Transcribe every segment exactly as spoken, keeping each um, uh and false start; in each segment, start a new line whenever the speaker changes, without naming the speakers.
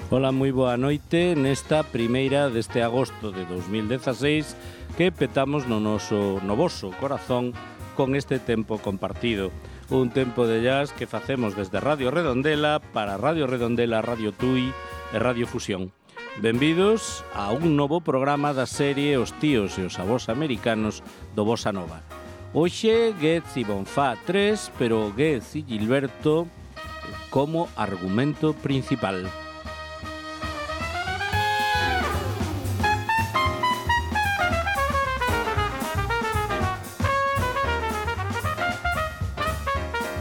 Ola, moi boa noite nesta primeira deste agosto de dos mil dezaseis que petamos no noso novoso corazón con este tempo compartido. Un tempo de jazz que facemos desde Radio Redondela para Radio Redondela, Radio Tui e Radio Fusión. Benvidos a un novo programa da serie Os tíos e os avós americanos do Bossa Nova. Hoxe Getz e Bonfá tres, pero Getz e Gilberto como argumento principal.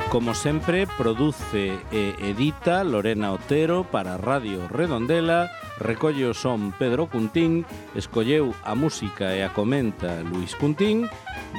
Como sempre, produce e edita Lorena Otero para Radio Redondela, recolle o son Pedro Cuntín, escolleu a música e a comenta Luis Cuntín,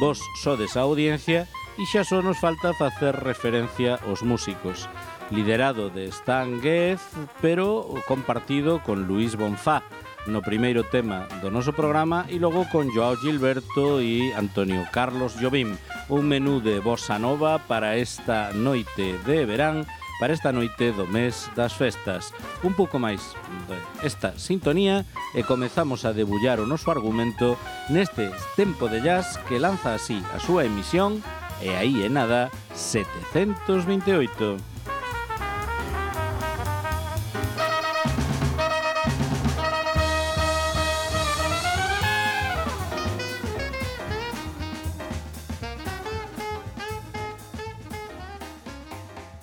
vos sodes a audiencia e xa só nos falta facer referencia aos músicos. Liderado de Stan Getz, pero compartido con Luis Bonfá no primeiro tema do noso programa e logo con Joao Gilberto e Antonio Carlos Jobim. Un menú de Bossa Nova para esta noite de verán, para esta noite do mes das festas. Un pouco máis esta sintonía e comezamos a debullar o noso argumento neste tempo de jazz que lanza así a súa emisión e aí é nada setecentos veinte e oito.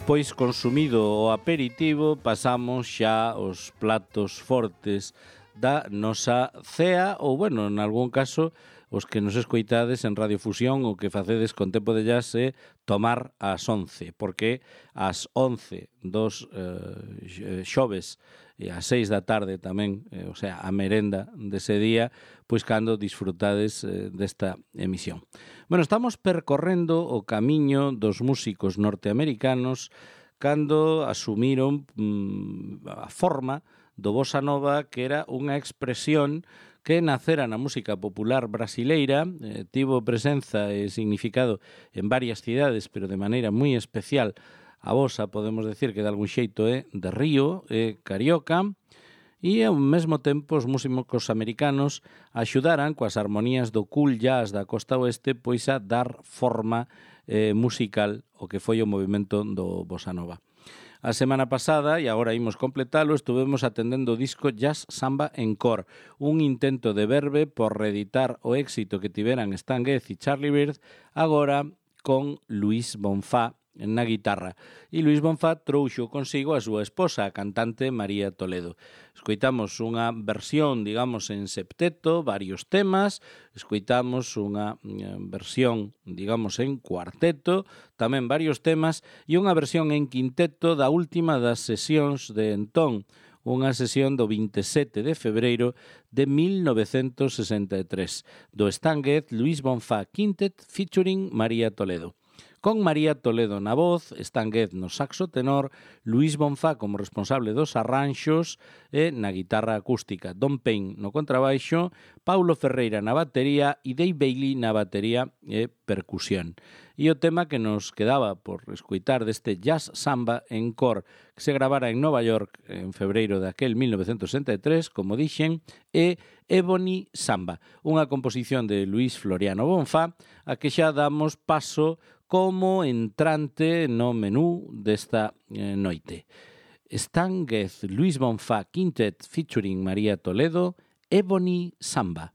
Pois consumido o aperitivo, pasamos xa aos platos fortes da nosa cea, ou, bueno, en algún caso, os que nos escoitades en Radio Fusión, o que facedes con tempo de jazz é tomar ás once, porque ás once dos eh, xoves e ás seis da tarde tamén, eh, o sea, a merenda dese día, pois cando disfrutades eh, desta emisión. Bueno, estamos percorrendo o camiño dos músicos norteamericanos cando asumiron mm, a forma do Bossa Nova, que era unha expresión que nacera na música popular brasileira, eh, tivo presenza e significado en varias cidades, pero de maneira moi especial. A Bossa, podemos decir que de algún xeito é de Río, é carioca, e ao mesmo tempo os músicos americanos axudaran coas armonías do cool jazz da costa oeste pois a dar forma eh, musical ao que foi o movimento do Bossa Nova. A semana pasada, e agora imos completalo, estuvemos atendendo o disco Jazz Samba Encore, un intento de Verve por reeditar o éxito que tiveran Stan Getz e Charlie Byrd, agora con Luis Bonfá na guitarra. E Luis Bonfá trouxo consigo a súa esposa, a cantante María Toledo. Escoitamos unha versión, digamos, en septeto, varios temas, escoitamos unha versión, digamos, en cuarteto, tamén varios temas, e unha versión en quinteto da última das sesións de entón, unha sesión do vinte e sete de febreiro de mil novecentos sesenta e tres, do Stan Getz Luis Bonfá Quintet featuring María Toledo. Con María Toledo na voz, Stan Getz no saxo tenor, Luis Bonfá como responsable dos arranxos e na guitarra acústica, Don Payne no contrabaixo, Paulo Ferreira na batería e Dave Bailey na batería e percusión. E o tema que nos quedaba por escoitar deste Jazz Samba Encore que se gravara en Nova York en febreiro daquel mil novecentos sesenta e tres, como dixen, é Ebony Samba, unha composición de Luis Floriano Bonfá, a que xa damos paso como entrante no menú desta eh, noite. Stan Getz, Luis Bonfá Quintet featuring María Toledo, Ebony Samba.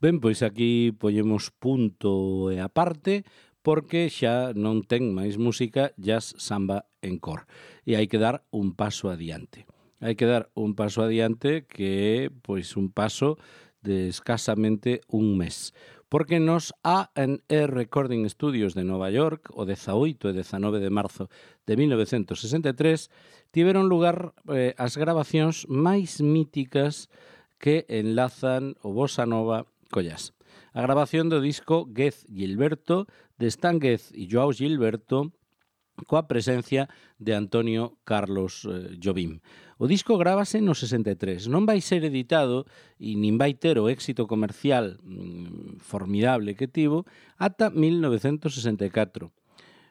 Ben, pois aquí poñemos punto e aparte, porque xa non ten máis música jazz, samba, encore. E hai que dar un paso adiante. Hai que dar un paso adiante que é pois un paso de escasamente un mes. Porque nos A and E Recording Studios de Nova York, o dezaoito e dezanove de marzo de mil novecentos sesenta e tres, tiveron lugar eh, as gravacións máis míticas que enlazan o bossa nova co jazz. A grabación do disco Gez Gilberto, de Stan Getz e Joao Gilberto, coa presencia de Antonio Carlos eh, Jobim. O disco grábase no sesenta e tres. Non vai ser editado e nin vai ter o éxito comercial mm, formidable que tivo ata mil novecentos sesenta e catro.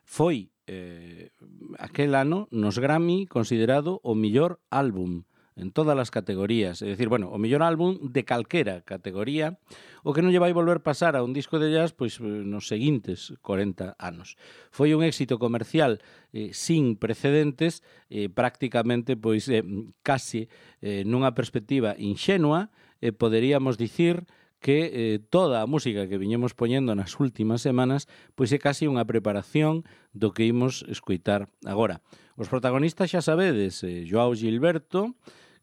Foi eh, aquel ano nos Grammy considerado o millor álbum en todas as categorías, é dicir, bueno, o mellor álbum de calquera categoría, o que non lle vai volver pasar a un disco de jazz pois nos seguintes corenta anos. Foi un éxito comercial eh, sin precedentes, eh, prácticamente pois eh, casi eh, nunha perspectiva inxenua, eh, poderíamos dicir que eh, toda a música que viñemos poñendo nas últimas semanas pois é casi unha preparación do que imos escoitar agora. Os protagonistas xa sabedes, eh, Joao Gilberto,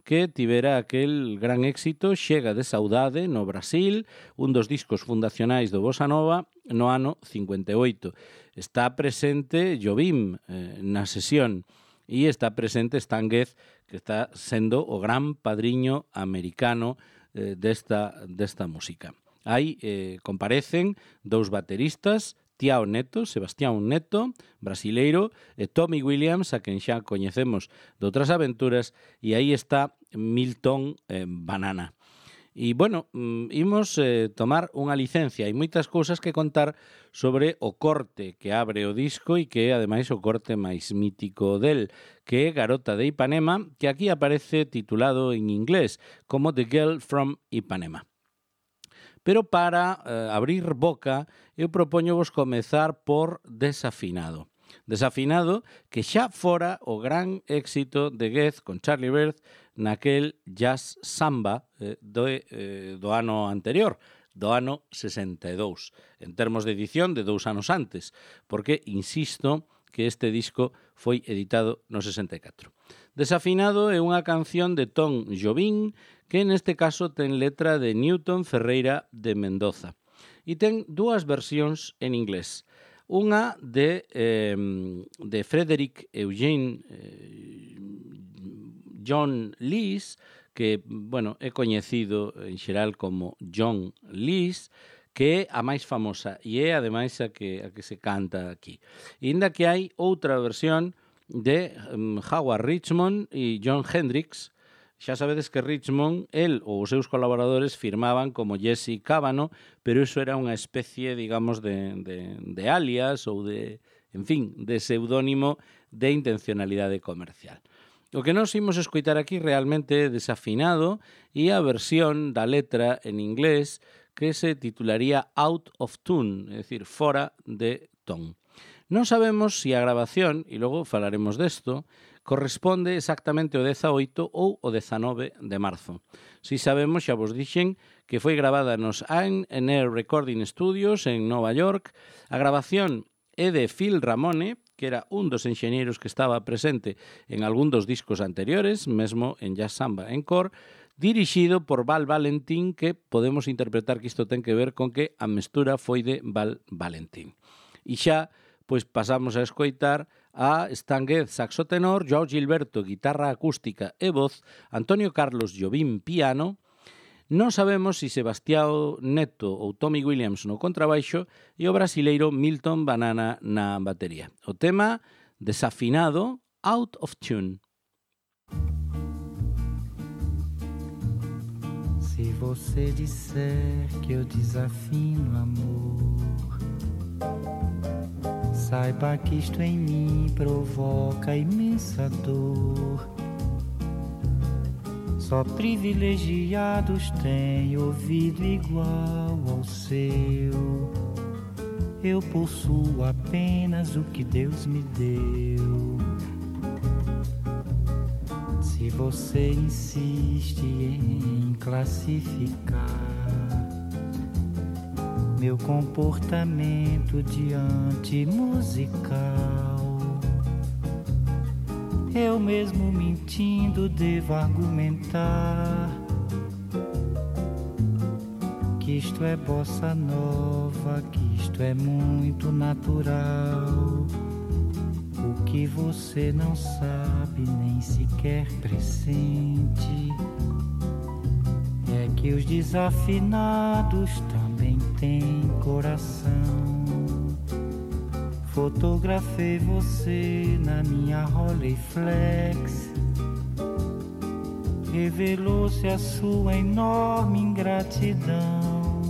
que tivera aquel gran éxito Chega de Saudade no Brasil, un dos discos fundacionais do Bossa Nova no ano cincuenta e oito. Está presente Jobim eh, na sesión e está presente Stan Getz, que está sendo o gran padriño americano eh, desta, desta música. Aí eh, comparecen dous bateristas, Tiao Neto, Sebastián Neto, brasileiro, e Tommy Williams, a quen xa coñecemos de outras aventuras, e aí está Milton eh, Banana. E, bueno, imos eh, tomar unha licencia. Hai moitas cousas que contar sobre o corte que abre o disco e que é, ademais, o corte máis mítico del, que é Garota de Ipanema, que aquí aparece titulado en inglés como The Girl from Ipanema. Pero para eh, abrir boca, eu propóñovos comezar por Desafinado. Desafinado que xa fora o gran éxito de Getz con Charlie Byrd naquel jazz samba eh, do, eh, do ano anterior, do ano sesenta e dous, en termos de edición de dous anos antes, porque, insisto, que este disco foi editado no sesenta e catro. Desafinado é unha canción de Tom Jobim que neste caso ten letra de Newton Ferreira de Mendoza e ten dúas versións en inglés. Unha de, eh, de Frederick Eugene eh, John Lees, que, bueno, é coñecido en xeral como John Lees, que é a máis famosa e é, ademais, a que, a que se canta aquí. E ainda que hai outra versión de um, Howard Richmond e John Hendricks. Xa sabedes que Richmond, el ou os seus colaboradores firmaban como Jesse Cavano, pero iso era unha especie, digamos, de, de, de alias ou de, en fin, de pseudónimo de intencionalidade comercial. O que nós imos escoitar aquí realmente é Desafinado e a versión da letra en inglés que se titularía Out of Tune, é dicir, fora de ton. Non sabemos se a grabación, e logo falaremos desto, corresponde exactamente ao dezaoito ou o dezanove de marzo. Si sabemos, xa vos dixen, que foi gravada nos A and E Recording Studios en Nova York. A grabación é de Phil Ramone, que era un dos enxeñeiros que estaba presente en algún dos discos anteriores, mesmo en Jazz Samba Encore, dirixido por Val Valentín, que podemos interpretar que isto ten que ver con que a mestura foi de Val Valentín. E xa, pois pasamos a escoitar a Stan Getz saxo tenor, Joao Gilberto guitarra acústica e voz, Antonio Carlos Jobim piano. Non sabemos se Sebastián Neto ou Tommy Williams no contrabaixo e o brasileiro Milton Banana na batería. O tema Desafinado, Out of Tune.
Se você disser que eu desafino amor, saiba que isto em mim provoca imensa dor. Só privilegiados têm ouvido igual ao seu. Eu possuo apenas o que Deus me deu. Se você insiste em classificar meu comportamento diante musical. Eu mesmo mentindo devo argumentar que isto é bossa nova, que isto é muito natural. O que você não sabe, nem sequer pressente, é que os desafinados também têm coração. Fotografei você na minha Rolleiflex, revelou-se a sua enorme ingratidão.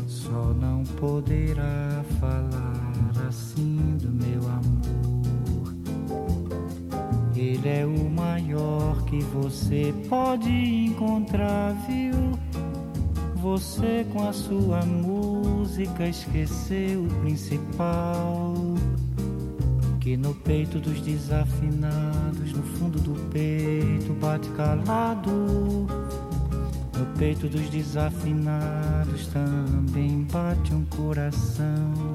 Só não poderá falar assim do meu amor. Ele é o maior que você pode encontrar, viu? Você com a sua música esqueceu o principal, que no peito dos desafinados, no fundo do peito bate calado. No peito dos desafinados também bate um coração.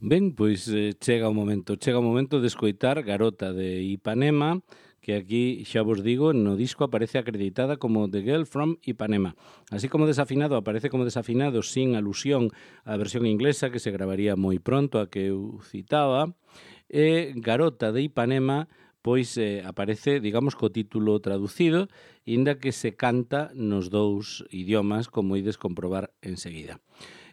Ben, pois eh, chega o momento, chega o momento de escoitar Garota de Ipanema, que aquí, xa vos digo, no disco aparece acreditada como The Girl from Ipanema. Así como Desafinado aparece como Desafinado sin alusión á versión inglesa que se gravaría moi pronto, a que eu citaba, e Garota de Ipanema pois eh, aparece, digamos, co título traducido, inda que se canta nos dous idiomas, como ides comprobar enseguida.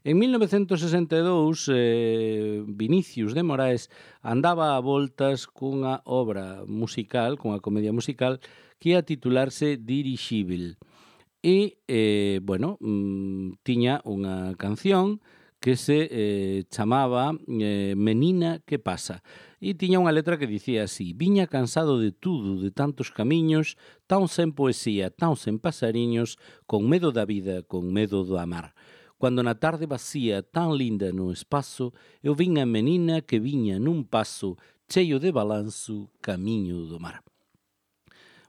En mil novecentos sesenta e dous, eh, Vinicius de Moraes andaba a voltas cunha obra musical, cunha comedia musical, que ia titularse Dirixíbil. E, eh, bueno, mm, tiña unha canción que se eh, chamaba eh, Menina, que pasa? E tiña unha letra que dicía así: viña cansado de tudo, de tantos camiños, tan sen poesía, tan sen pasariños, con medo da vida, con medo do amar. Cuando na tarde vacía, tan linda no espazo, eu vin a menina que viña nun paso, cheio de balanzo, camiño do mar.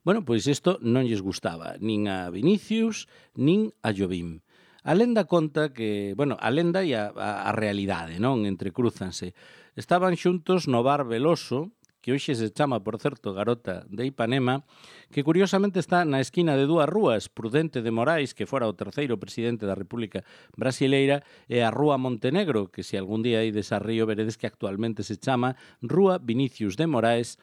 Bueno, pois isto non lles gustaba, nin a Vinicius, nin a Jobim. A lenda conta que, bueno, a lenda e a, a, a realidade, non? Entrecrúzanse. Estaban xuntos no bar Veloso, que hoxe se chama, por certo, Garota de Ipanema, que curiosamente está na esquina de dúas rúas, Prudente de Morais, que fora o terceiro presidente da República Brasileira, e a Rúa Montenegro, que se algún día ides a Río veredes que actualmente se chama Rúa Vinicius de Moraes,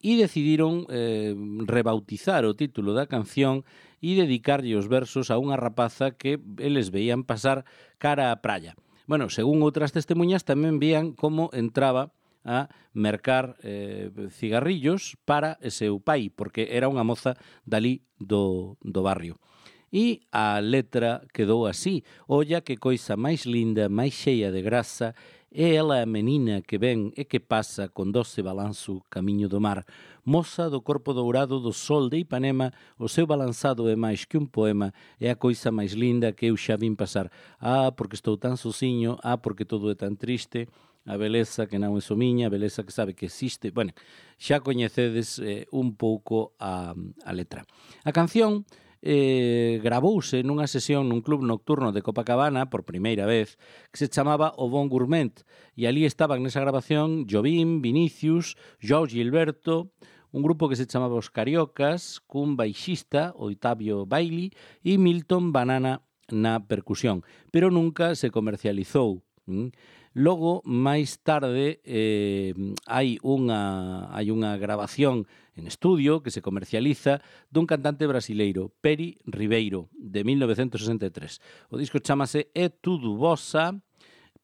e decidiron eh, rebautizar o título da canción e dedicarlle os versos a unha rapaza que eles veían pasar cara á praia. Bueno, según outras testemunhas, tamén vían como entraba a mercar eh, cigarrillos para o seu pai, porque era unha moza dali do, do barrio. E a letra quedou así: olla que coisa máis linda, máis cheia de grasa, é ela a menina que ven e que pasa con doce balanzo camiño do mar. Moza do corpo dourado do sol de Ipanema, o seu balanzado é máis que un poema, é a coisa máis linda que eu xa vin pasar. Ah, porque estou tan sociño, ah, porque todo é tan triste, a beleza que non é somiña, a beleza que sabe que existe. Bueno, xa coñecedes eh, un pouco a, a letra. A canción eh, gravouse nunha sesión nun club nocturno de Copacabana por primeira vez, que se chamaba O Bon Gourmet, e ali estaban nesa grabación Jobim, Vinicius, João Gilberto, un grupo que se chamaba Os Cariocas, cun baixista, Octavio Bailey, e Milton Banana na percusión, pero nunca se comercializou. Mm? Logo, máis tarde, eh, hai unha hai unha grabación en estudio que se comercializa dun cantante brasileiro, Peri Ribeiro, de mil novecentos sesenta e tres. O disco chamase É Tudo Bossa,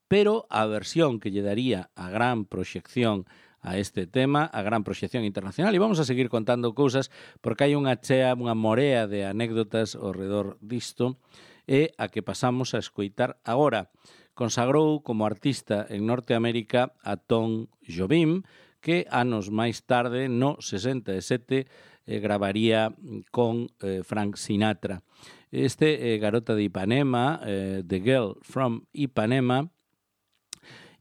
pero a versión que lle daría a gran proxección a este tema, a gran proxección internacional, e vamos a seguir contando cousas porque hai unha chea, unha morea de anécdotas ao redor disto, e a que pasamos a escoitar agora. Consagrou como artista en Norteamérica a Tom Jobim, que anos máis tarde, no sesenta e sete, eh, gravaría con eh, Frank Sinatra. Este eh, Garota de Ipanema, eh, The Girl from Ipanema,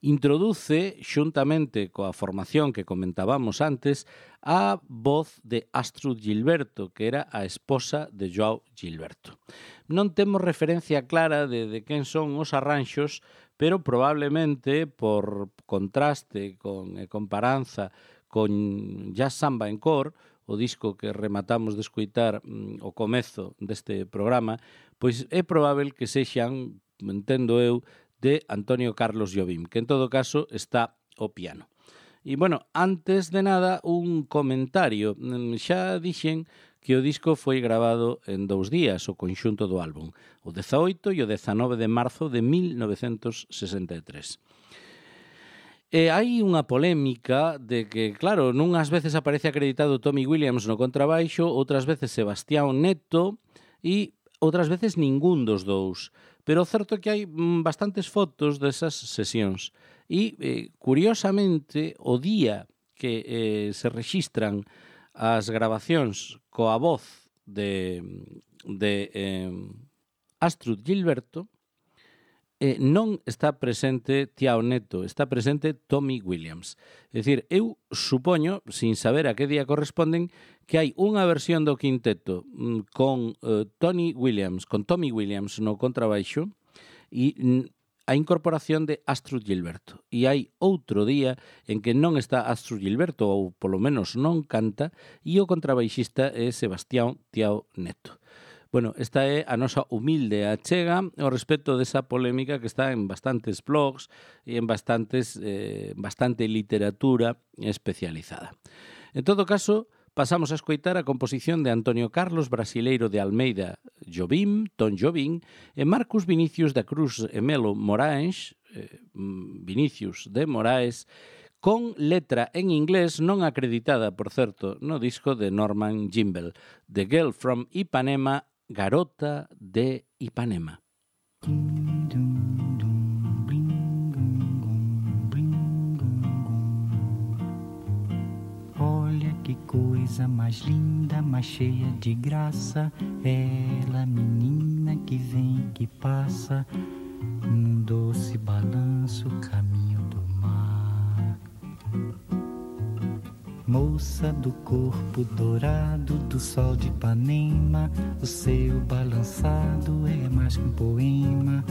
introduce, xuntamente coa formación que comentábamos antes, a voz de Astrud Gilberto, que era a esposa de João Gilberto. Non temos referencia clara de, de quen son os arranxos, pero probablemente por contraste con e comparanza con Jazz Samba en Cor, o disco que rematamos de escoitar mm, o comezo deste programa, pois é probável que sexan, entendo eu, de Antonio Carlos Jobim, que en todo caso está ao piano. E, bueno, antes de nada, un comentario. Xa dixen que o disco foi grabado en dous días, o conxunto do álbum, o dezaoito e o dezanove de marzo de mil novecentos sesenta e tres. E hai unha polémica de que, claro, nunhas veces aparece acreditado Tommy Williams no contrabaixo, outras veces Sebastián Neto e outras veces ningún dos dous. Pero o certo é que hai bastantes fotos desas sesións. E, eh, curiosamente, o día que eh, se rexistran as grabacións coa voz de, de eh, Astrud Gilberto, eh, non está presente Tiao Neto, está presente Tommy Williams. É dicir, eu supoño, sin saber a que día corresponden, que hai unha versión do quinteto mm, con eh, Tony Williams, con Tommy Williams no contrabaixo e mm, a incorporación de Astrud Gilberto. E hai outro día en que non está Astrud Gilberto, ou polo menos non canta, e o contrabaixista é Sebastián Tiao Neto. Bueno, esta é a nosa humilde achega ao respecto desa polémica que está en bastantes blogs e en bastantes, eh, bastante literatura especializada. En todo caso, pasamos a escoitar a composición de Antonio Carlos Brasileiro de Almeida Jobim, Tom Jobim, e Marcus Vinicius da Cruz e Melo Moraes, eh, Vinicius de Moraes, con letra en inglés non acreditada, por certo, no disco de Norman Gimbel, The Girl from Ipanema, Garota de Ipanema.
Olha que coisa mais linda, mais cheia de graça, ela, menina que vem, que passa, num doce balanço, caminho do mar. Moça do corpo dourado do sol de Ipanema, o seu balançado é mais que um poema,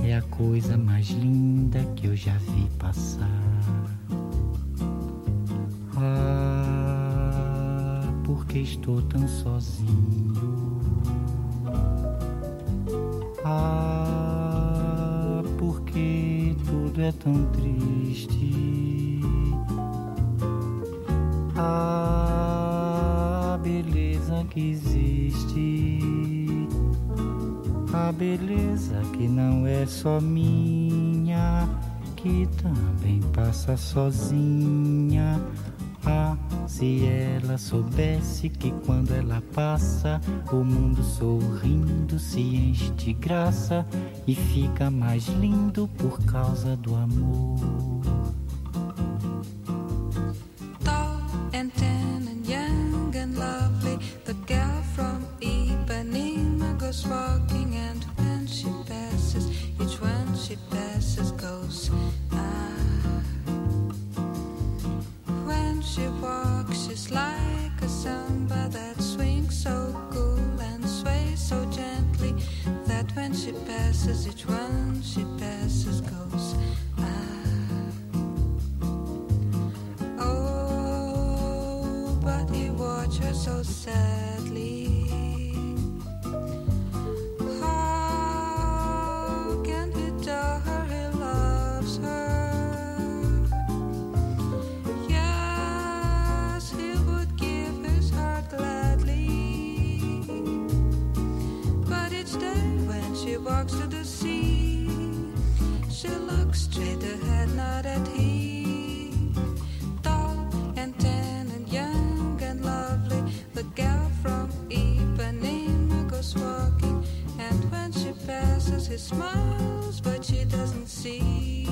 é a coisa mais linda que eu já vi passar. Ah, porque estou tão sozinho. Ah, porque tudo é tão triste. Ah, beleza que existe. A beleza que não é só minha, que também passa sozinha. Ah, se ela soubesse que quando ela passa, o mundo sorrindo se enche de graça e fica mais lindo por causa do amor.
Tall and tan and young and lovely, the girl from Ipanema goes walking, and when she passes, each one she passes goes ah. When she walks, she's like a samba that swings so cool and sways so gently, that when she passes, each one she passes goes ah. Oh, but he watched her so sadly. How can he tell her he loves her? Yes, he would give his heart gladly. But each day when she walks to the sea, she looks straight ahead, not at him. Tall and tan and young and lovely, the gal from Ipanema goes walking, and when she passes, he smiles, but she doesn't see.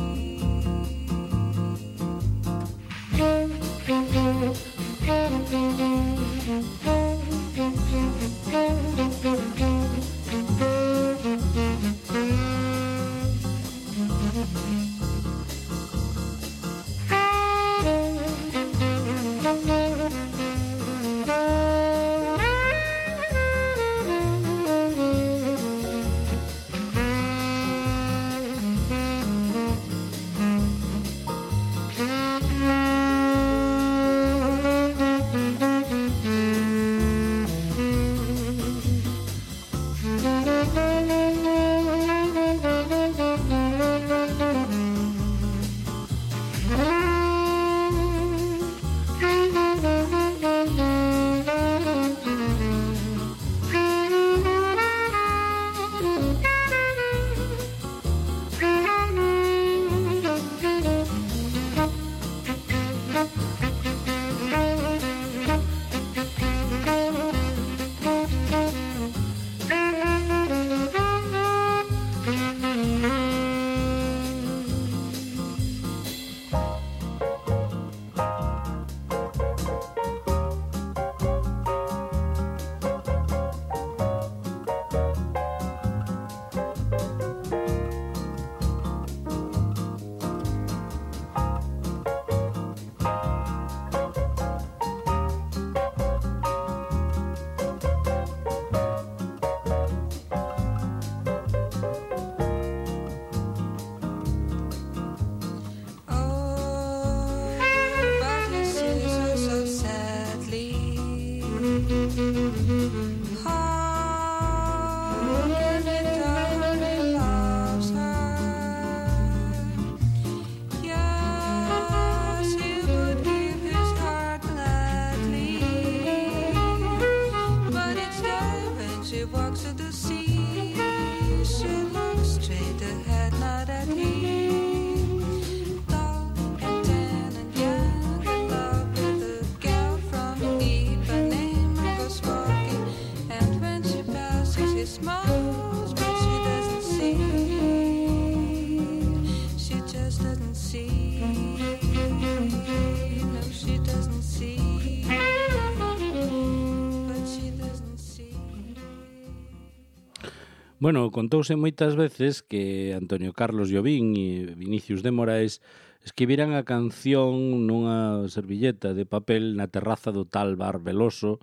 Bueno, contouse moitas veces que Antonio Carlos Jobim e Vinicius de Moraes escribiran a canción nunha servilleta de papel na terraza do tal bar Veloso,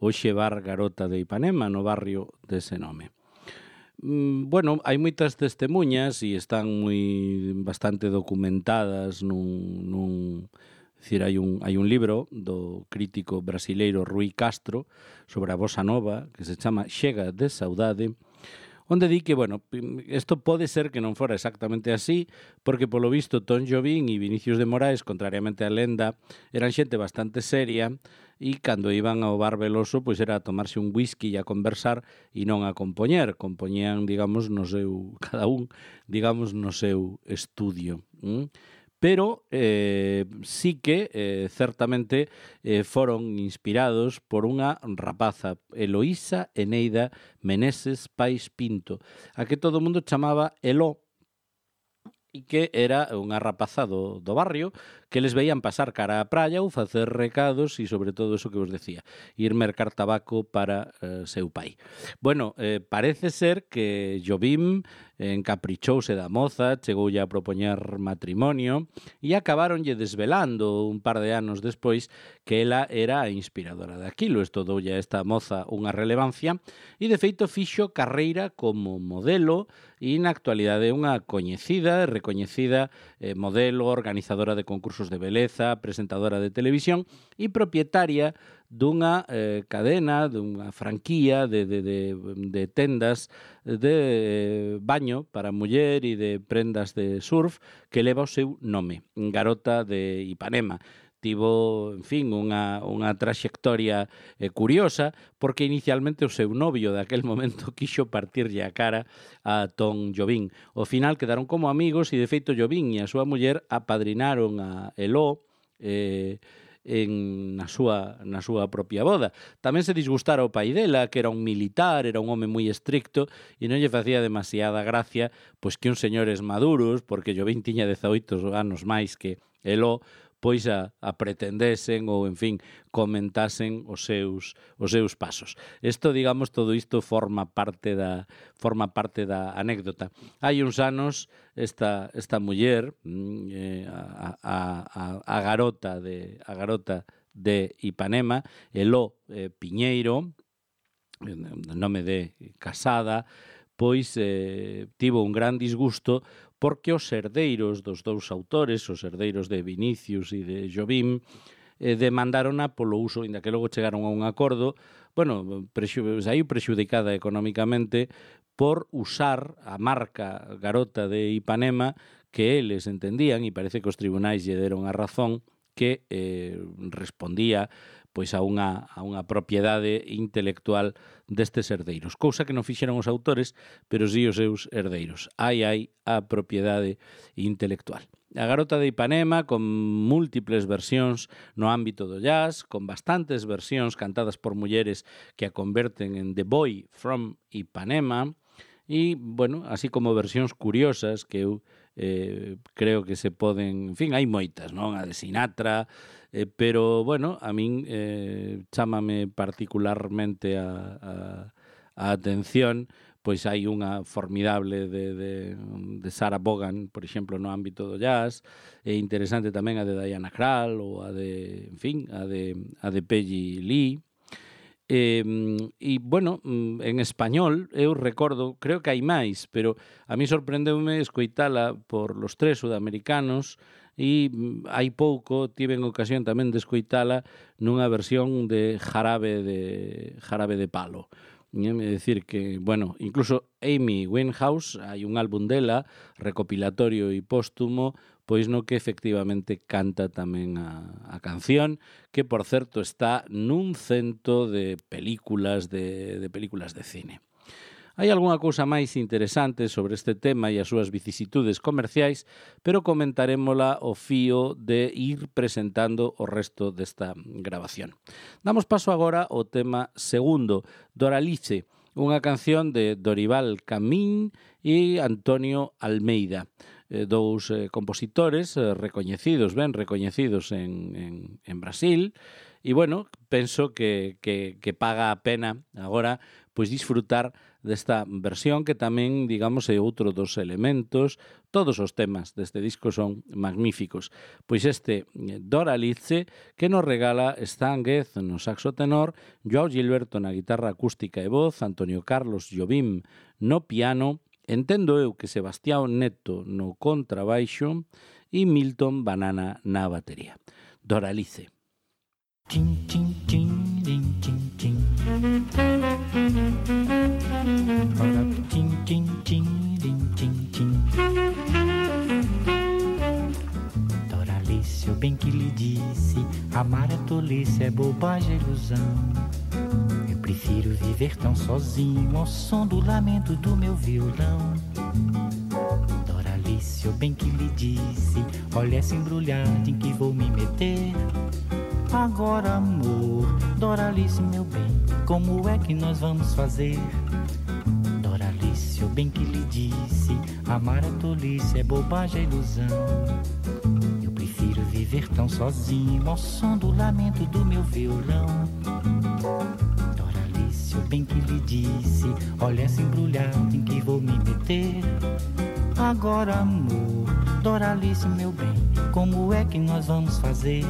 hoxe bar Garota de Ipanema, no barrio dese nome. Bueno, hai moitas testemunhas e están moi bastante documentadas nun, nun Dicir, hai un, hai un libro do crítico brasileiro Rui Castro sobre a bossa nova que se chama Chega de Saudade, onde di que, bueno, isto pode ser que non fora exactamente así, porque polo visto Tom Jobim e Vinicius de Moraes, contrariamente á lenda, eran xente bastante seria e cando iban ao bar Veloso, pois era a tomarse un whisky e a conversar e non a compoñer. Compoñían, digamos, no seu, cada un, digamos, no seu estudio. ¿Mm? Pero eh, sí que, eh, certamente, eh, foron inspirados por unha rapaza, Eloísa Eneida Meneses Pais Pinto, a que todo o mundo chamaba Eló, e que era unha rapaza do, do barrio que les veían pasar cara á praia ou facer recados e, sobre todo, eso que vos decía, ir mercar tabaco para eh, seu pai. Bueno, eh, parece ser que Jobim encaprichouse da moza, chegoulle a propoñer matrimonio e acabaronlle desvelando un par de anos despois que ela era a inspiradora daquilo. Isto doulle a esta moza unha relevancia e, de feito, fixo carreira como modelo e, na actualidade, unha coñecida e recoñecida eh, modelo, organizadora de concursos de beleza, presentadora de televisión e propietaria dunha eh, cadena, dunha franquía de, de, de, de tendas de eh, baño para muller e de prendas de surf que leva o seu nome, Garota de Ipanema. Tivo, en fin, unha, unha traxectoria eh, curiosa, porque inicialmente o seu novio daquel momento quixo partirlle a cara a Tom Jobim. Ao final quedaron como amigos e, de feito, Jobim e a súa muller apadrinaron a Eló eh, en, na, súa, na súa propia boda. Tamén se disgustara o pai dela, que era un militar, era un home moi estricto, e non lle facía demasiada gracia pois que uns señores maduros, porque Jobim tiña dezaoito anos máis que Eló, pois a, a pretendesen ou, en fin, comentasen os seus os seus pasos. Isto, digamos, todo isto forma parte da forma parte da anécdota. Hai uns anos esta esta muller, eh, a, a, a, a garota de a garota de Ipanema, Eló eh, Piñeiro, nome de casada, pois eh, tivo un gran disgusto porque os herdeiros dos dous autores, os herdeiros de Vinicius e de Jobim, eh, demandarona polo uso, inda que logo chegaron a un acordo, bueno, prexu, saiu prexudicada económicamente por usar a marca Garota de Ipanema que eles entendían, e parece que os tribunais lle deron a razón, que eh, respondía pois a unha, a unha propiedade intelectual destes herdeiros. Cousa que non fixeron os autores, pero sí os seus herdeiros. Hai, hai a propiedade intelectual. A Garota de Ipanema, con múltiples versións no ámbito do jazz, con bastantes versións cantadas por mulleres que a converten en The Boy from Ipanema, e, bueno, así como versións curiosas que eu eh, creo que se poden, en fin, hai moitas, non? A de Sinatra, eh, pero, bueno, a min eh, chámame particularmente a, a, a atención, pois hai unha formidable de, de, de Sarah Vaughan, por exemplo, no ámbito do jazz, é interesante tamén a de Diana Krall, ou a de, en fin, a de, a de Peggy Lee. E, e, bueno, en español eu recordo, creo que hai máis, pero a mí sorprendeume escoitala por los tres sudamericanos e hai pouco tiven ocasión tamén de escoitala nunha versión de Jarabe de Jarabe de Palo. É dicir que, bueno, incluso Amy Winehouse, hai un álbum dela, recopilatorio e póstumo, pois no que efectivamente canta tamén a, a canción, que, por certo, está nun cento de películas de, de películas de cine. Hai algunha cousa máis interesante sobre este tema e as súas vicisitudes comerciais, pero comentarémola ao fío de ir presentando o resto desta grabación. Damos paso agora ao tema segundo, Doralice, unha canción de Dorival Camín e Antonio Almeida, eh, dous eh, compositores eh, recoñecidos, ben recoñecidos en, en, en Brasil, e, bueno, penso que, que, que paga a pena agora pois disfrutar desta versión que tamén, digamos, é outro dos elementos. Todos os temas deste disco son magníficos. Pois este Doralice, que nos regala Stan Getz no saxo tenor, Joao Gilberto na guitarra acústica e voz, Antonio Carlos Jobim no piano, entendo eu que Sebastián Neto no contrabaixo e Milton Banana na batería. Doralice.
Chin, chin, chin, din, chin, chin. Ora, chin, chin, chin, din, chin, chin. Doralice, eu bem que lhe disse, amar é tolice, é bobagem, é ilusão. Eu prefiro viver tão sozinho ao som do lamento do meu violão. Doralice, eu bem que lhe disse, olha essa embrulhada em que vou me meter. Agora, amor, Doralice, meu bem, como é que nós vamos fazer? Doralice, eu bem que lhe disse, amar é tolice, é bobagem, é ilusão. Eu prefiro viver tão sozinho ao som do lamento do meu violão. Doralice, eu bem que lhe disse, olha essa embrulhada em que vou me meter. Agora, amor, Doralice, meu bem, como é que nós vamos fazer?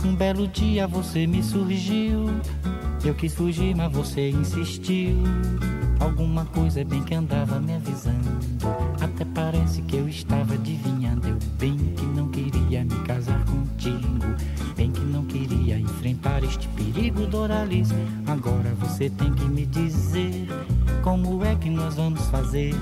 Um belo dia você me surgiu, eu quis fugir, mas você insistiu. Alguma coisa é bem que andava me avisando, até parece que eu estava adivinhando. Eu bem que não queria me casar contigo, bem que não queria enfrentar este perigo, Doralice. Agora você tem que me dizer, como é que nós vamos fazer?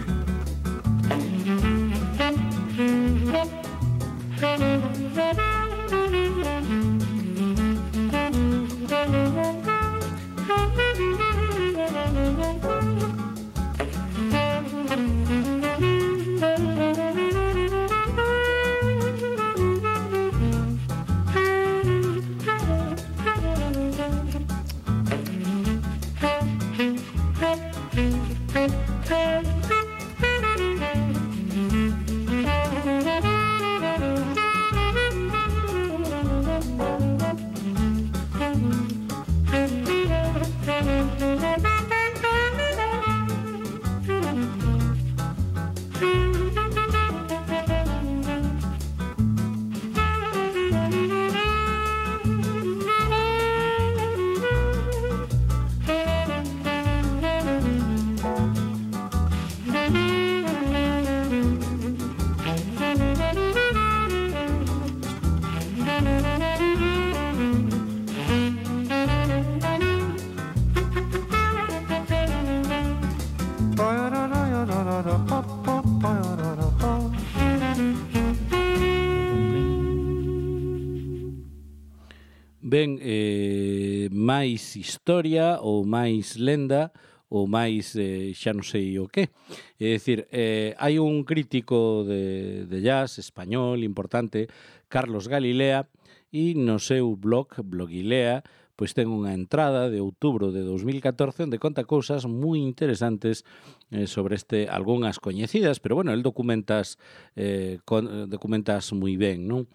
Ben, eh, máis historia ou máis lenda ou máis eh, xa non sei o que. É dicir, eh, hai un crítico de, de jazz español importante, Carlos Galilea, e no seu blog, Blogilea, pois ten unha entrada de outubro de dos mil catorce onde conta cousas moi interesantes eh, sobre este, algunhas coñecidas, pero bueno, el documentas eh, con, documentas moi ben, non?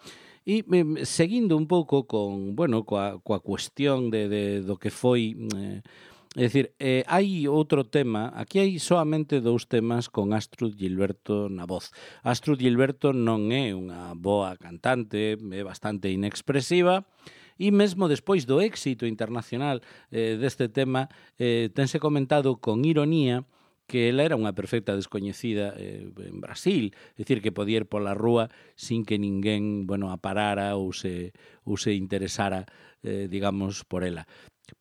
E eh, seguindo un pouco con, bueno, coa, coa cuestión de, de, do que foi, eh, é dicir, eh, hai outro tema, aquí hai soamente dous temas con Astrud Gilberto na voz. Astrud Gilberto non é unha boa cantante, é bastante inexpresiva, e mesmo despois do éxito internacional eh, deste tema, eh, tense comentado con ironía que ela era unha perfecta descoñecida eh, en Brasil, é dicir, que podía ir pola rúa sin que ninguén, bueno, a parara ou se, ou se interesara, eh, digamos, por ela.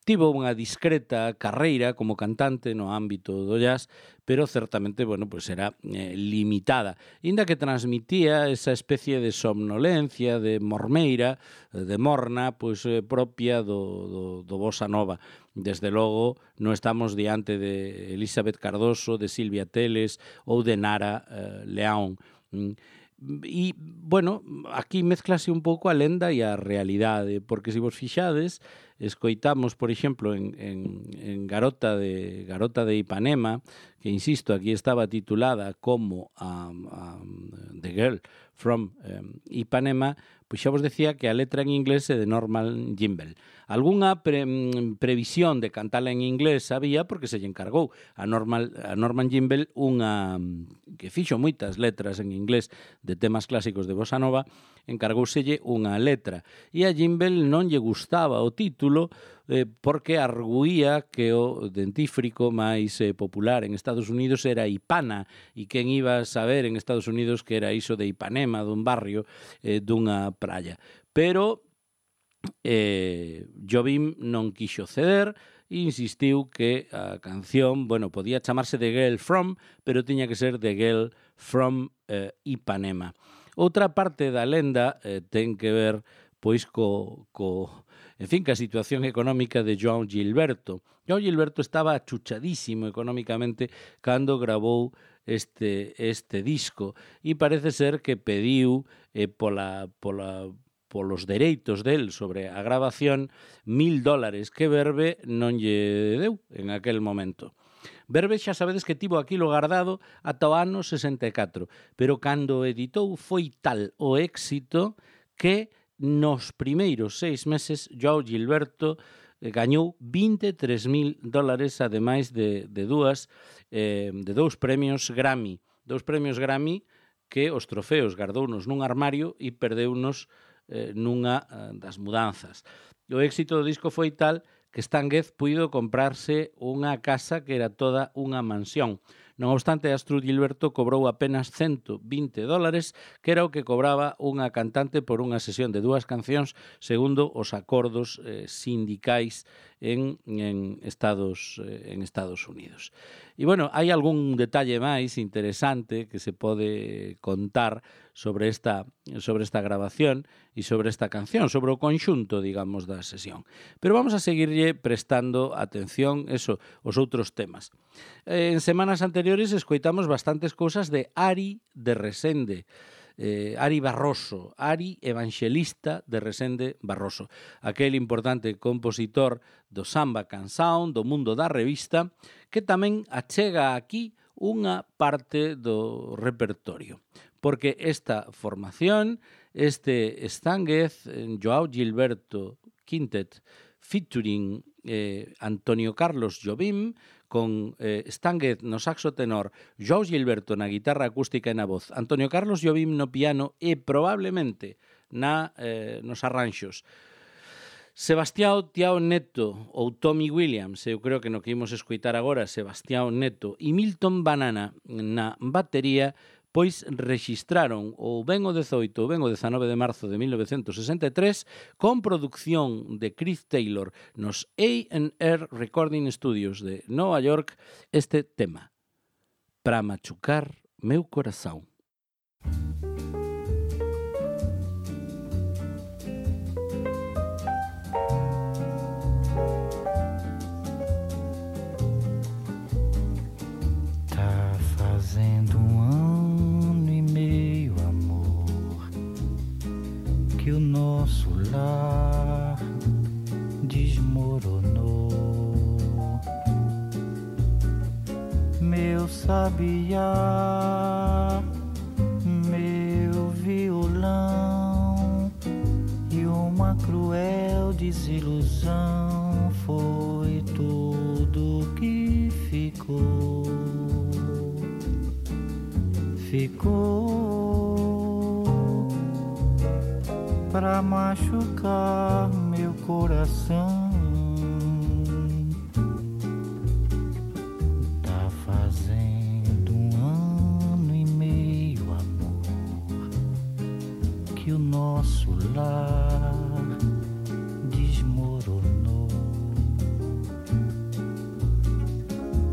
Tivo unha discreta carreira como cantante no ámbito do jazz, pero certamente, bueno, pues era eh, limitada. Inda que transmitía esa especie de somnolencia, de mormeira, de morna, pues eh, propia do, do, do bossa nova. Desde logo, non estamos diante de Elizabeth Cardoso, de Silvia Teles ou de Nara eh, León. E, bueno, aquí mezclase un pouco a lenda e a realidade, porque se vos fixades, escoitamos, por exemplo, en, en, en Garota de Garota de Ipanema, que, insisto, aquí estaba titulada como um, um, The Girl from um, Ipanema, pois xa vos decía que a letra en inglés é de Norman Gimbel. Algúnha pre, previsión de cantala en inglés había porque se lle encargou a, Normal, a Norman Gimbel unha que fixo moitas letras en inglés de temas clásicos de bossa nova, encargouselle unha letra. E a Gimbel non lle gustaba o título eh, porque arguía que o dentífrico máis eh, popular en Estados Unidos era Ipana, e quen iba a saber en Estados Unidos que era iso de Ipanema, dun barrio, eh, dunha praia. Pero eh, Jobim non quixo ceder e insistiu que a canción, bueno, podía chamarse The Girl From, pero tiña que ser The Girl From eh, Ipanema. Outra parte da lenda eh, ten que ver pois co, co, en fin, ca situación económica de João Gilberto. João Gilberto estaba achuchadísimo económicamente cando grabou este, este disco e parece ser que pediu eh, pola, pola, polos dereitos del sobre a grabación mil dólares que Verve non lle deu en aquel momento. Verve xa sabedes que tivo aquilo guardado ata o ano sesenta e catro, pero cando o editou foi tal o éxito que nos primeiros seis meses João Gilberto eh, gañou vinte e tres mil dólares, ademais de, de dúas eh, de dous premios Grammy, dous premios Grammy que os trofeos guardounos nun armario e perdeunos eh, nunha eh, das mudanzas. O éxito do disco foi tal que Stan Getz puido comprarse unha casa que era toda unha mansión. Non obstante, Astrud Gilberto cobrou apenas ciento vinte dólares, que era o que cobraba unha cantante por unha sesión de dúas cancións segundo os acordos eh, sindicais en, en, Estados, eh, en Estados Unidos. E, bueno, hai algún detalle máis interesante que se pode contar sobre esta, sobre esta grabación e sobre esta canción, sobre o conxunto, digamos, da sesión. Pero vamos a seguirlle prestando atención eso, os outros temas. En semanas anteriores escoitamos bastantes cousas de Ari de Resende, eh, Ari Barroso, Ari Evangelista de Resende Barroso, aquel importante compositor do samba canção, do mundo da revista, que tamén achega aquí unha parte do repertorio. Porque esta formación, este Stan Getz, João Gilberto Quintet, featuring eh, Antonio Carlos Jobim, con eh, Stan Getz no saxo tenor, João Gilberto na guitarra acústica e na voz, Antonio Carlos Jobim no piano e probablemente na, eh, nos arranxos. Sebastião Tiao Neto ou Tommy Williams, eu creo que no que imos escoitar agora, Sebastião Neto e Milton Banana na batería, pois rexistraron ou ben o dezoito ou ben o dezanove de marzo de mil novecentos sesenta e tres con produción de Chris Taylor nos A and R Recording Studios de Nova York este tema, Pra machucar meu corazón.
Tá fazendo um ano e meio, amor, que o nosso lar desmoronou. Meu sabiá, meu violão e uma cruel desilusão foi tudo que ficou. Ficou pra machucar meu coração. Tá fazendo um ano e meio, amor, que o nosso lar desmoronou.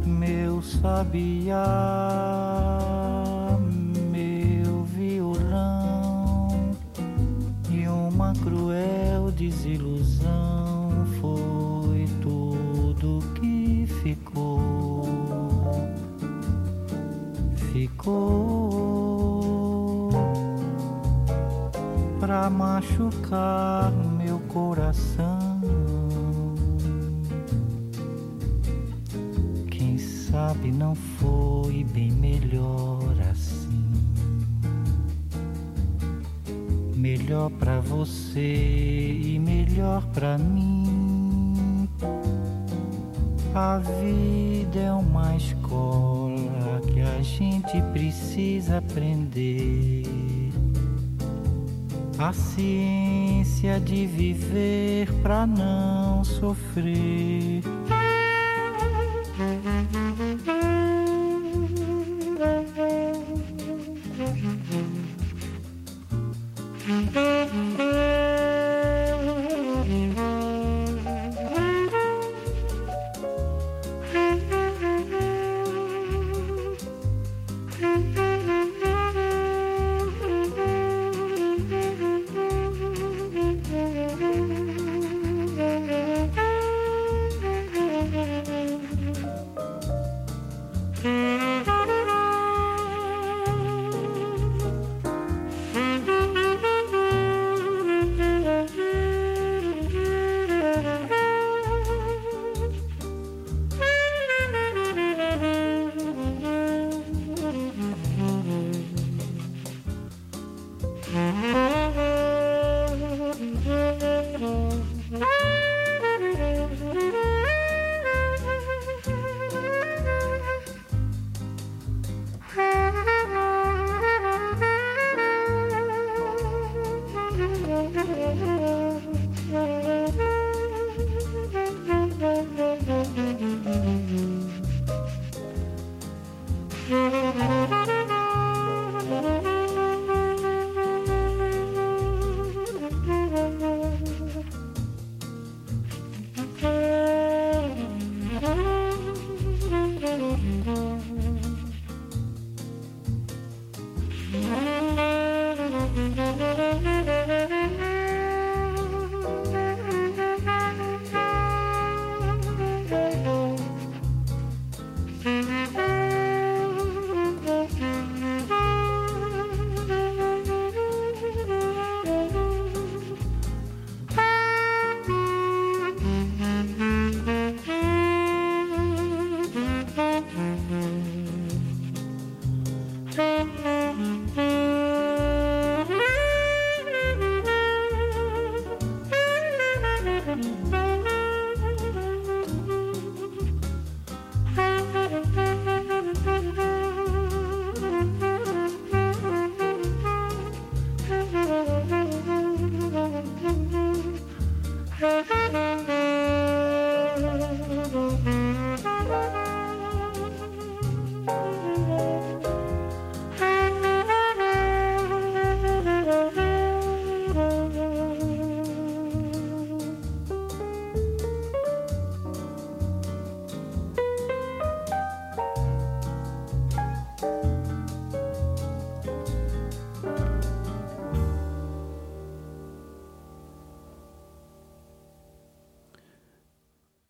Meu sabiá, meu violão e uma cruel desilusão foi tudo que ficou. Ficou pra machucar meu coração. Quem sabe não foi bem melhor assim. Melhor pra você e melhor pra mim. A vida é uma escola que a gente precisa aprender. A ciência de viver pra não sofrer.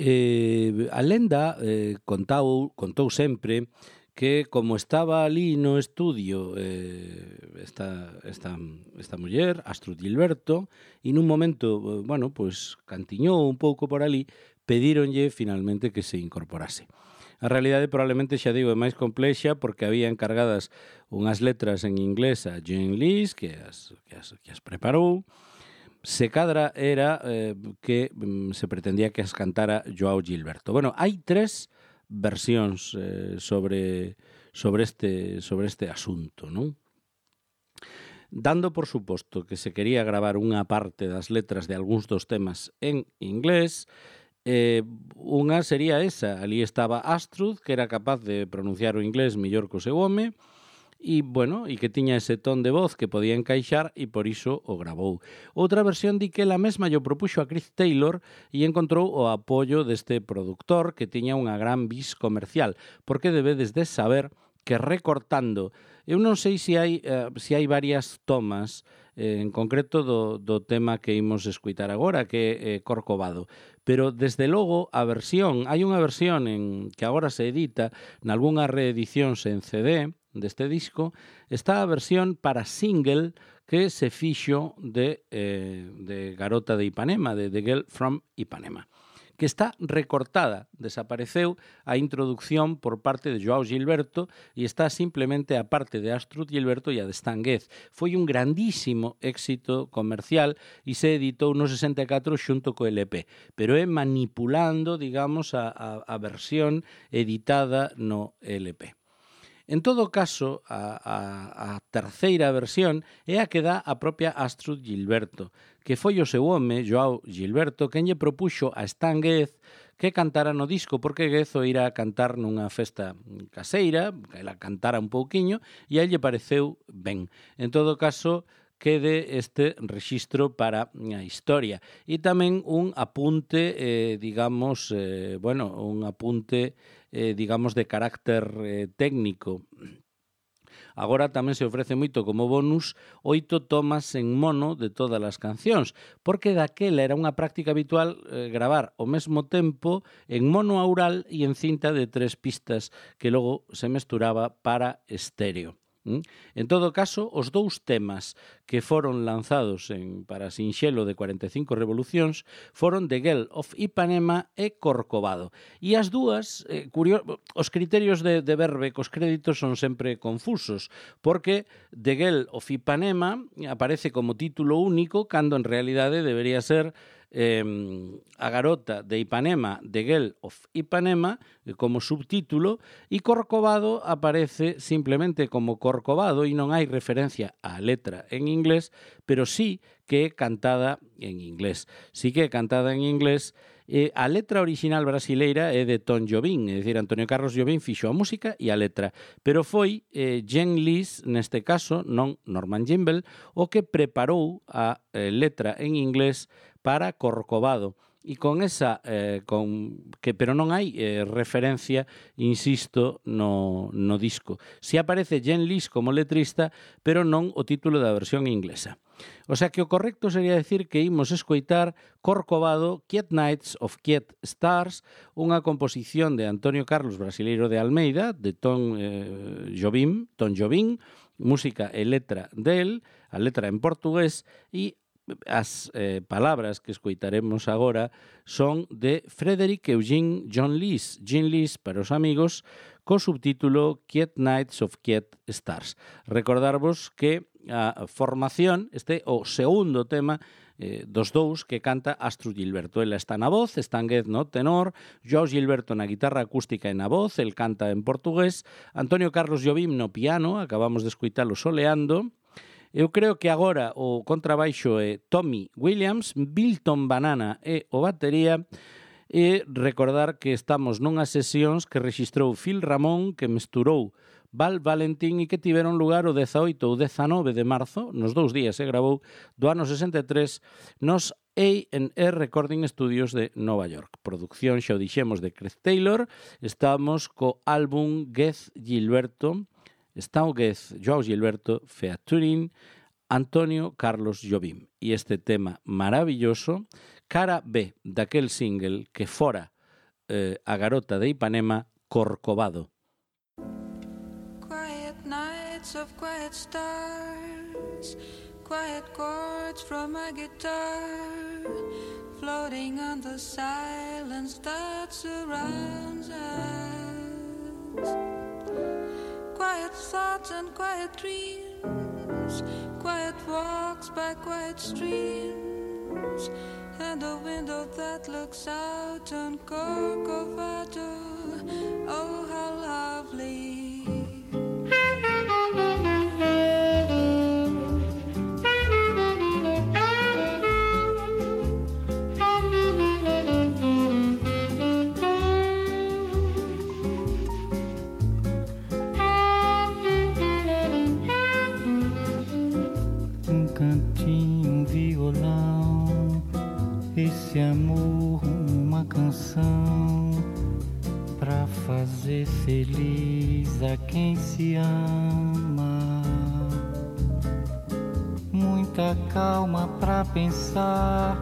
Eh, a lenda eh, contou, contou sempre que como estaba ali no estudio eh, esta, esta, esta muller, Astrud Gilberto, e nun momento, eh, bueno, pues cantiñou un pouco por ali, pedíronlle finalmente que se incorporase. A realidade probablemente, xa digo, é máis complexa porque había encargadas unhas letras en inglés a Jean Lis que as, que as, que as preparou. Se cadra era eh, que mm, se pretendía que as cantara Joao Gilberto. Bueno, hai tres versións eh, sobre, sobre, este, sobre este asunto, non? Dando por suposto que se quería gravar unha parte das letras de algúns dos temas en inglés, eh, unha sería esa. Ali estaba Astrud, que era capaz de pronunciar o inglés mellor que o seu home, e, bueno, e que tiña ese ton de voz que podía encaixar e por iso o gravou. Outra versión di que ela mesma lle propuxo a Chris Taylor e encontrou o apoio deste produtor que tiña unha gran vis comercial, porque debedes de saber que recortando, eu non sei se hai, eh, se hai varias tomas eh, en concreto do, do tema que imos escuitar agora, que é eh, Corcovado, pero desde logo a versión, hai unha versión en que agora se edita nalgúnhas reedicións en C D deste disco, está a versión para single que se fixo de, eh, de Garota de Ipanema, de The Girl from Ipanema, que está recortada, desapareceu a introducción por parte de Joao Gilberto e está simplemente a parte de Astrud Gilberto e a de Stan Getz. Foi un grandísimo éxito comercial e se editou no sesenta e catro xunto co L P, pero é manipulando, digamos, a, a, a versión editada no L P. En todo caso, a, a, a terceira versión é a que dá a propia Astrud Gilberto, que foi o seu home, Joao Gilberto, quen lle propuxo a Stan Getz que cantara no disco, porque Getz o ira a cantar nunha festa caseira, que ela cantara un pouquiño, e a lle pareceu ben. En todo caso, quede este rexistro para a historia. E tamén un apunte, eh, digamos, eh, bueno, un apunte, eh, digamos, de carácter eh, técnico. Agora tamén se ofrece moito como bonus oito tomas en mono de todas as cancións, porque daquela era unha práctica habitual eh, gravar ao mesmo tempo en mono aural e en cinta de tres pistas que logo se mesturaba para estéreo. En todo caso, os dous temas que foron lanzados en, para Sinxelo de cuarenta e cinco revolucións foron The Girl of Ipanema e Corcovado. E as dúas, eh, curio, os criterios de, de verbe cos créditos son sempre confusos, porque The Girl of Ipanema aparece como título único, cando en realidade debería ser Eh, a garota de Ipanema, The Girl of Ipanema, como subtítulo, e Corcovado aparece simplemente como Corcovado e non hai referencia á letra en inglés, pero sí que é cantada en inglés. Sí que é cantada en inglés. Eh, a letra original brasileira é de Tom Jobim, é dicir, Antonio Carlos Jobim fixo a música e a letra, pero foi eh, Jean Lis, neste caso, non Norman Gimbel, o que preparou a eh, letra en inglés para Corcovado. E con esa, eh, con, que pero non hai eh, referencia, insisto, no, no disco. Si aparece Jean Lis como letrista, pero non o título da versión inglesa. O sea que o correcto sería decir que imos escoitar Corcovado, Quiet Nights of Quiet Stars, unha composición de Antonio Carlos Brasileiro de Almeida, de Tom eh, Jobim, Tom Jobim, música e letra del, a letra en portugués, e as eh, palabras que escoitaremos agora son de Frederick Eugene John Lis, Jean Lis para os amigos, co subtítulo Quiet Nights of Quiet Stars. Recordarvos que a formación, este o segundo tema eh, dos dous que canta Astrud Gilberto. Ela está na voz, Stan Getz no tenor, Joao Gilberto na guitarra acústica e na voz, el canta en portugués, Antonio Carlos Jobim no piano, acabamos de escoitalo soleando. Eu creo que agora o contrabaixo é Tommy Williams, Bilton Banana é o batería, e recordar que estamos nunhas sesións que rexistrou Phil Ramón, que mesturou Val Valentín e que tiveron lugar o dezaoito ou dezanove de marzo, nos dous días se gravou, do ano sesenta e tres, nos A and E Recording Studios de Nova York. Producción, xa o dixemos, de Chris Taylor. Estamos co álbum Getz Gilberto, Stan Getz, Joao Gilberto, featuring Antonio Carlos Jobim. E este tema maravilloso, cara B daquel single que fora eh, A garota de Ipanema, Corcovado.
Quiet nights of quiet stars, quiet chords from my guitar, floating on the silence that surrounds us. Quiet thoughts and quiet dreams, quiet walks by quiet streams, and a window that looks out on Corcovado. Oh, how lovely.
Um cantinho, um violão, esse amor, uma canção pra fazer feliz a quem se ama. Muita calma pra pensar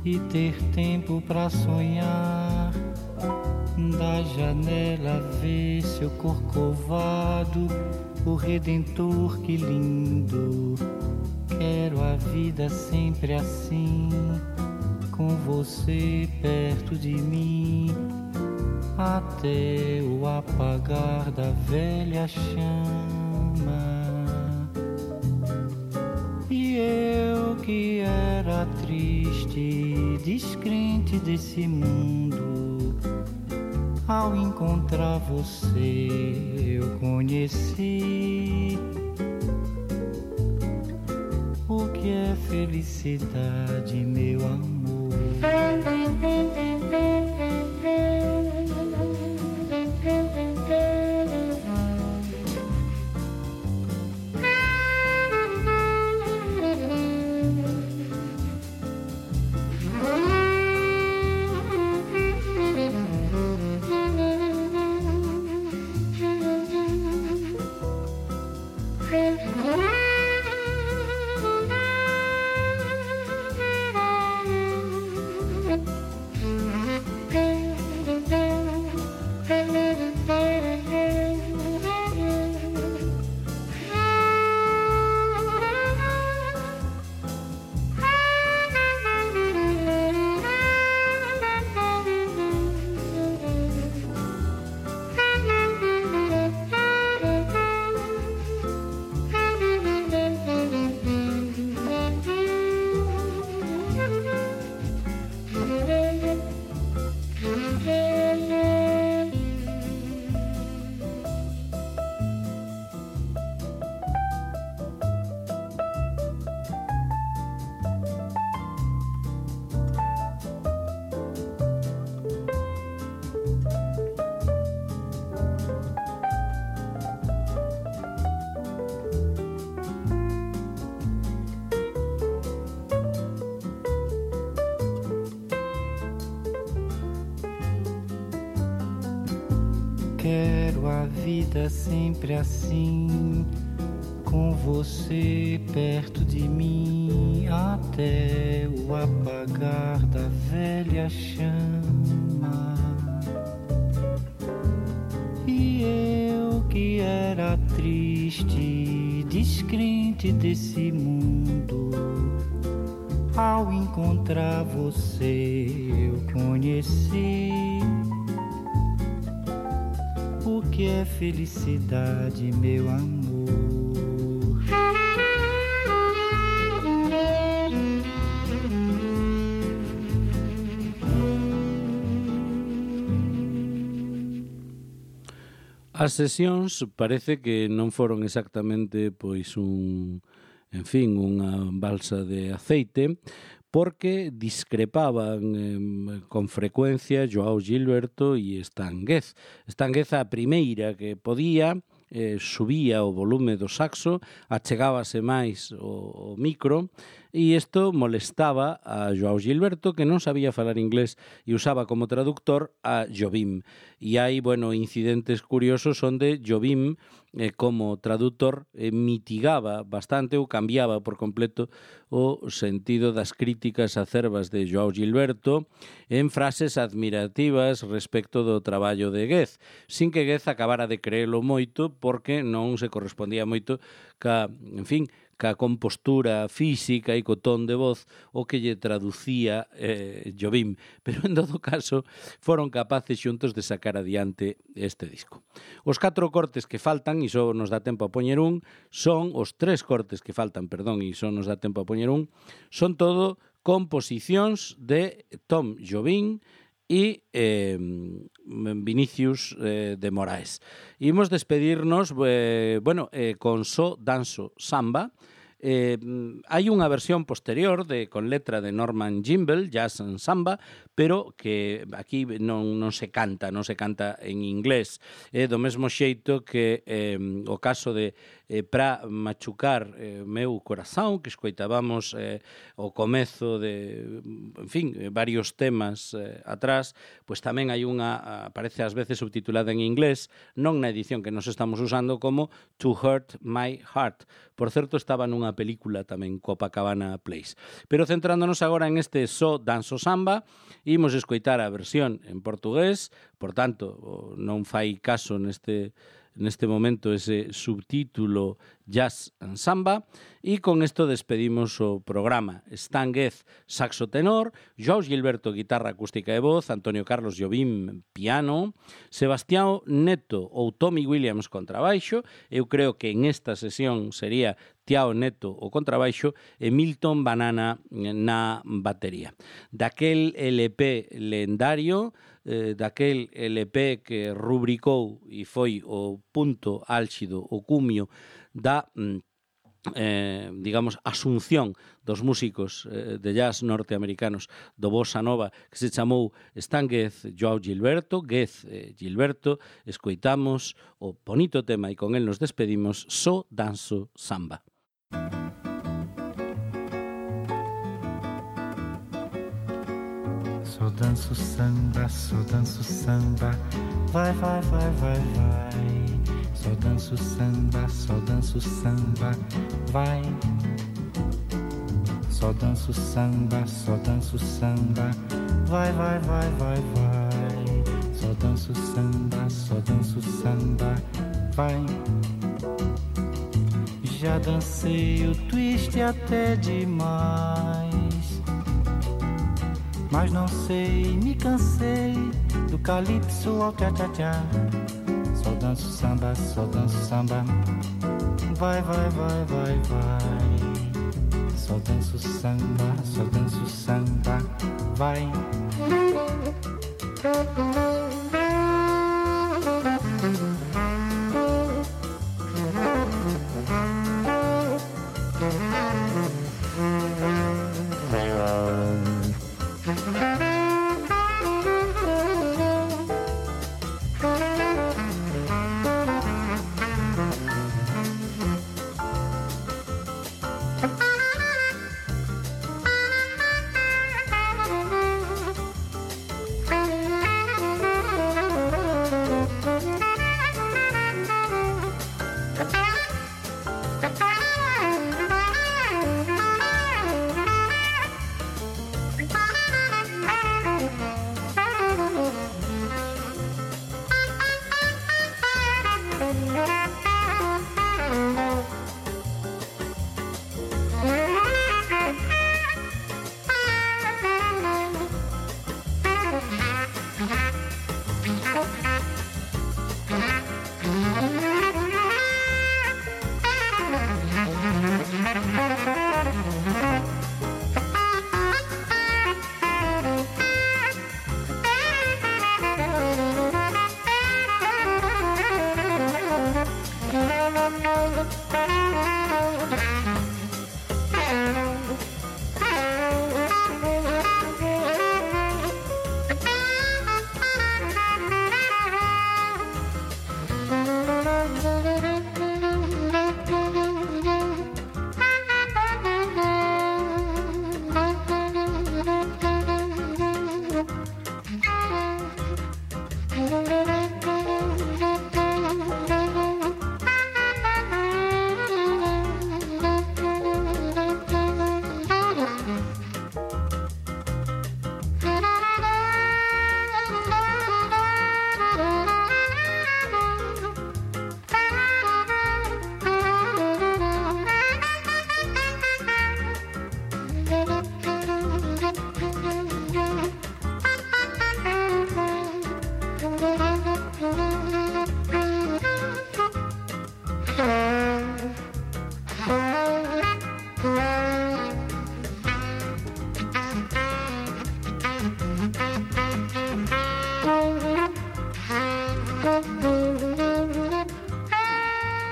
e ter tempo pra sonhar. Da janela ver seu Corcovado, o Redentor, que lindo. Quero a vida sempre assim, com você perto de mim, até o apagar da velha chama. E eu que era triste, descrente desse mundo, ao encontrar você eu conheci o que é felicidade, meu amor. Quero a vida sempre assim, com você perto de mim, até o apagar da velha chama. E eu que era triste, descrente desse mundo, ao encontrar você eu conheci o que é felicidade, meu amor.
As sesións parece que non foron exactamente pois un, en fin, unha balsa de aceite, porque discrepaban eh, con frecuencia Joao Gilberto e Estanguez. Estanguez a primeira que podía, eh, subía o volume do saxo, achegábase máis o, o micro, e isto molestaba a Joao Gilberto, que non sabía falar inglés e usaba como traductor a Jobim. E hai, bueno, incidentes curiosos onde Jobim, eh, como traductor, eh, mitigaba bastante ou cambiaba por completo o sentido das críticas acerbas de Joao Gilberto en frases admirativas respecto do traballo de Goethe, sin que Goethe acabara de creelo moito porque non se correspondía moito ca, en fin, ca compostura física e co ton de voz o que lle traducía eh, Jobim, pero en todo caso foron capaces xuntos de sacar adiante este disco. Os catro cortes que faltan, e só nos dá tempo a poñer un, son os tres cortes que faltan, perdón, e só nos dá tempo a poñer un, son todo composicións de Tom Jobim e eh, Vinicius eh, de Moraes. Imos despedirnos eh, bueno, eh, con So Danso Samba. Eh, hai unha versión posterior de con letra de Norman Gimbel, Jazz and Samba, pero que aquí non, non se canta, non se canta en inglés. É do mesmo xeito que eh, o caso de eh, Pra machucar eh, meu corazón, que escoitábamos eh, o comezo de, en fin, varios temas eh, atrás, pois tamén hai unha, aparece ás veces subtitulada en inglés, non na edición que nos estamos usando, como To Hurt My Heart. Por certo, estaba nunha película tamén, Copacabana Place. Pero centrándonos agora en este So Danso Samba, imos escoitar a versión en portugués, por tanto, non fai caso neste neste momento ese subtítulo Jazz and Samba, e con isto despedimos o programa. Stan Getz, saxo tenor, Joao Gilberto, guitarra acústica e voz, Antonio Carlos Jobim, piano, Sebastián Neto ou Tommy Williams, contrabaixo, eu creo que en esta sesión sería Tiao Neto o contrabaixo e Milton Banana na batería. Daquel L P lendario, eh, daquel L P que rubricou e foi o punto álxido, o cumio da eh, digamos, asunción dos músicos eh, de jazz norteamericanos do bossa nova, que se chamou Stan Getz, Joao Gilberto, Getz eh, Gilberto. Escoitamos o bonito tema e con el nos despedimos, So Danso Samba.
Só danço samba, só danço samba, vai, vai, vai, vai, vai. Só danço samba, só danço samba, vai. Só danço samba, só danço samba, vai, vai, vai, vai, vai. Só danço samba, só danço samba, vai. Já dancei o twist até demais, mas não sei, me cansei do calypso ao tchá-tchá-tchá. Só danço samba, só danço samba, vai, vai, vai, vai, vai. Só danço samba, só danço samba, vai.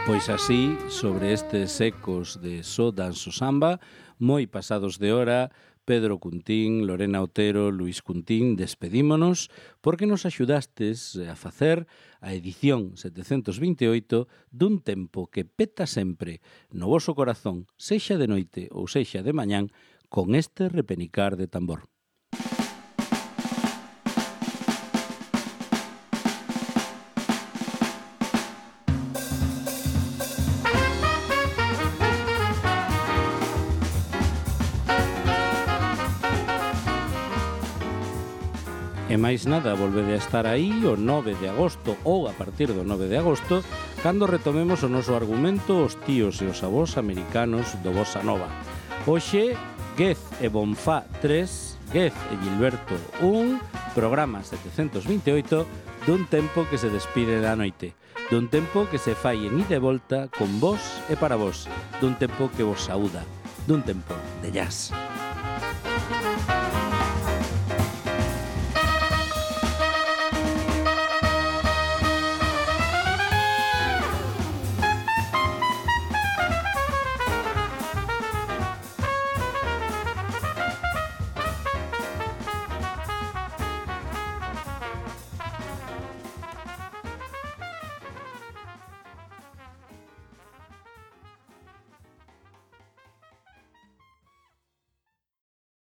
Pois así, sobre estes ecos de So Danso Samba, moi pasados de hora, Pedro Cuntín, Lorena Otero, Luís Cuntín, despedímonos porque nos axudastes a facer a edición setecentos vinte e oito dun tempo que peta sempre no voso corazón, sexa de noite ou sexa de mañán, con este repenicar de tambor. E máis nada, volvede a estar aí o nove de agosto ou a partir do nove de agosto cando retomemos o noso argumento os tíos e os avós americanos do Bossa Nova. Hoxe, Gez e Bonfá tres, Gez e Gilberto un, programa setecentos vinte e oito dun tempo que se despide da noite, dun tempo que se fai en ida e volta con vos e para vos, dun tempo que vos saúda, dun tempo de jazz.